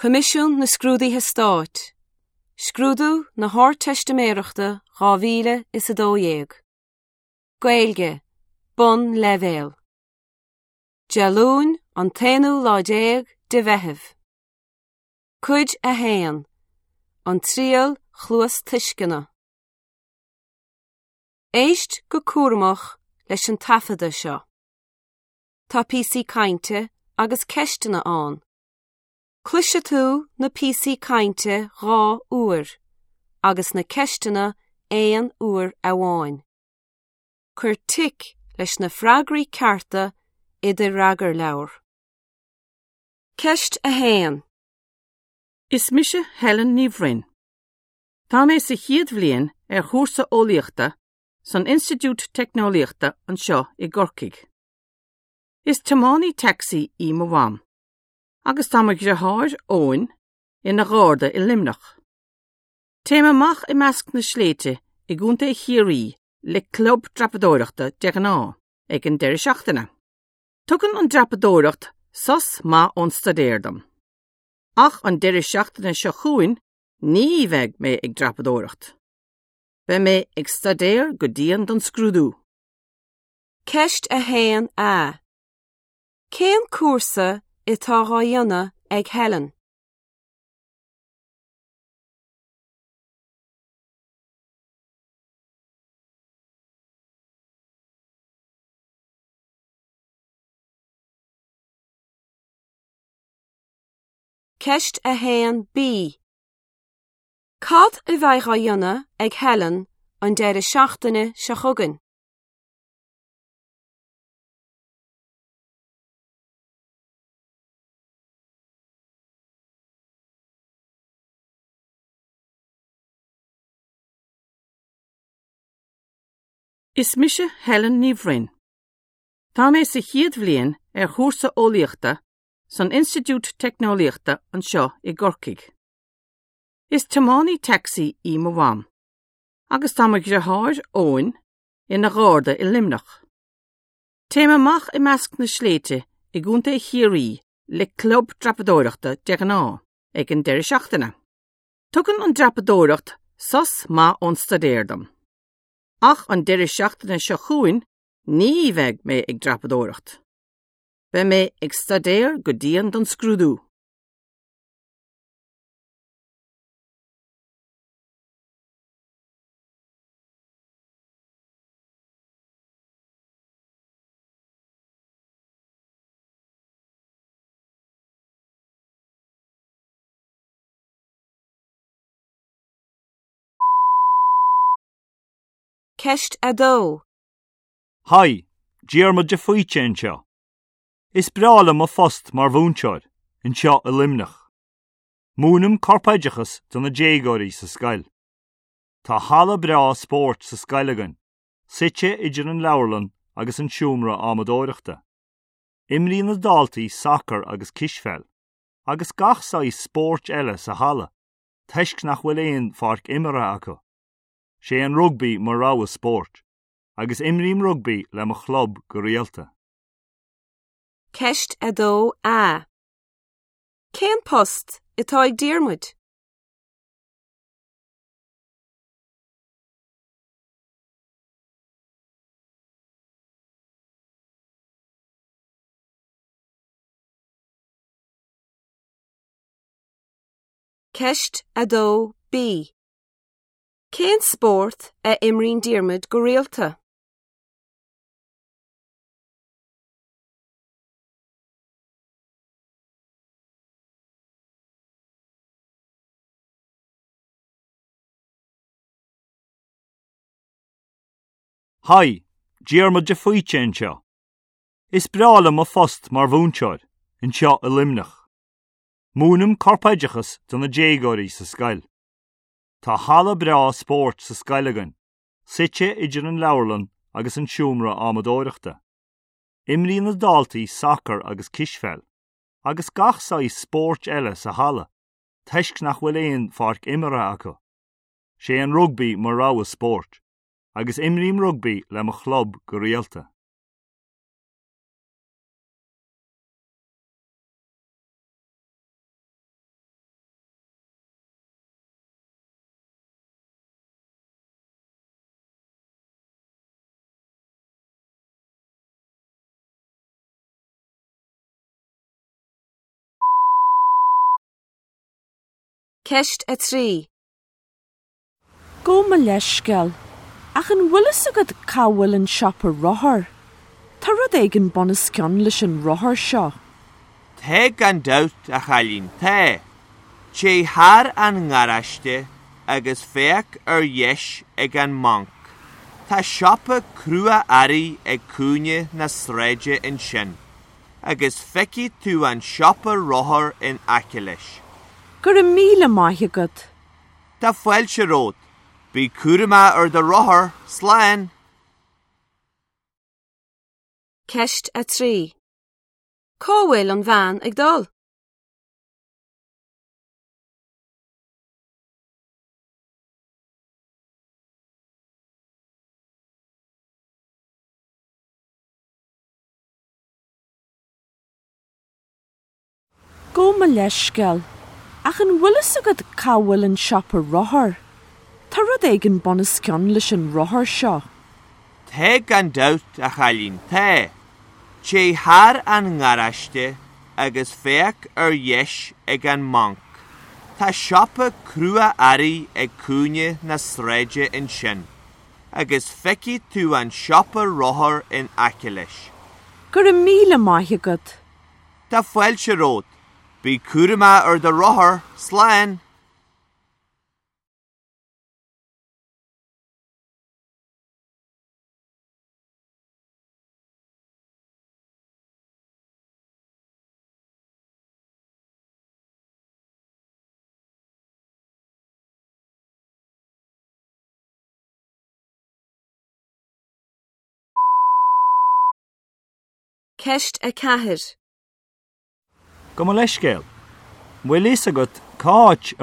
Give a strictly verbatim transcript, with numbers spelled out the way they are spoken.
Coimisiún na Scrúduithe Stáit. Scrúdú na hArdteistiméireachta dhá mhíle is a dó dhéag. Gaeilge, Bonnleibhéal. Dé Luain an t-aonú lá déag de Mheitheamh. Cuid a haon, An Triail Chluastuisceana. Éist go cúramach leis an taifeadadh seo. Tá píosaí cainte agus ceisteanna ann. Cloisfidh tú na píosaí cainte dhá uair agus na ceisteanna aon uair amháin. Cuir tic leis na freagraí cearta i do fhreagarleabhar. Ceist a haon. Is mise Helen Ní Bhroin. Tá mé sa chéad bhliain ar chúrsa eolaíochta san Institiúid Teicneolaíochta anseo i gCorcaigh. Is tiománaí tacsaí í mo mham, agus tá mo dheartháir Eoin ina gharda i Luimneach. Téim amach i measc na sléibhte i gContae Chiarraí le club dreapadóireachta de ghnáth ag an deireadh seachtaine. Tugann an dreapadóireacht sos maith ón staidéar dom. Ach an deireadh seachtaine seo chugainn ní bheidh mé ag dreapadóireacht. Beidh mé ag staidéar go dian don scrúdú. Ceist a haon A. Cén cúrsa atá á dhéanamh ag Helen? Ceist a haon B. Cad a bheidh á dhéanamh ag Helen an deireadh seachtaine seo chugainn? Is mise Helen Ní Bhroin. Tá mé sa chéad bhliain ar chúrsa eolaíochta san Institiúid Teicneolaíochta anseo i gCorcaigh. Is tiománaí tacsaí í mo mham, agus tá mo dheartháir Eoin ina gharda i Luimneach. Téim amach i measc na sléibhte i gContae Chiarraí le club dreapadóireachta de ghnáth ag an deireadh seachtaine. Tugann an dreapadóireacht sos maith ón staidéar dom. Ach an deireadh seachtaine seo chugainn ní bheidh mé ag dreapadóireacht. Beidh mé ag staidéar go dian don scrúdú. Ceist a dó. Haigh, Diarmuid de Faoite anseo. Is breá liom mo phost mar mhúinteoir, anseo i Luimneach. Múinim corpoideachas do na déagóirí sa scoil. Tá halla breá spóirt sa scoil againn, suite idir an leabharlann agus an seomra adhmadóireachta. Imríonn na daltaí sacar agus cispheil, agus gach saghas spóirt eile sa halla, toisc nach bhfuil aon pháirc imeartha acu. Sé an rugbaí mo rogha spóirt, agus imrím rugbaí le mo chlub go rialta. Ceist a dó A. Cén post atá ag Diarmuid? Ceist a dó B. Cén spórt a imríonn Diarmuid go rialta? Haigh, Diarmuid de Faoite anseo. Is breá liom mo phost mar mhúinteoir, anseo i Luimneach. Múinim corpoideachas do na déagóirí sa scoil. Tá halla breá spóirt sa scoil againn, suite idir an leabharlann agus an seomra adhmadóireachta. Imríonn na daltaí sacar agus cispheil, agus gach saghas spóirt eile sa halla, toisc nach bhfuil aon pháirc imeartha acu. Sé an rugbaí mo rogha spóirt, agus imrím rugbaí le mo chlub go rialta. Ceist a trí. Gabh mo leithscéal, ach an bhfuil fhios agat cá bhfuil an siopa rothar. Tá rud éigin bunoscionn leis an rothar seo. Tá gan dabht a chailín tá. Téigh thar an ngaráiste agus féach ar dheis ag an mbanc. Tá siopa crua-earraí ag cúinne na sráide ansin, agus feicfidh tú an siopa rothar in aice leis. Go raibh míle maith agat. Tá fáilte romhat, bí cúramach ar do rothar, slán! Ceist a trí. Cá bhfuil an bhean ag dul? Gabh mo leithscéal, ach an bhfuil fhios agat cá bhfuil an siopa rothar. Tá rud éigin bunoscionn leis an rothar seo. Tá gan dabht a chailín tá. Téigh thar an ngaráiste agus féach ar dheis ag an mbanc. Tá siopa crua-earraí ag cúinne na sráide ansin, agus feicfidh tú an siopa rothar in aice leis. Go raibh míle maith agat. Tá fáilte romhat, bí cúramach ar do rothar, slán! Ceist a ceathair. Gabh mo leithscéal. Bhfuil fhios agat cá háit a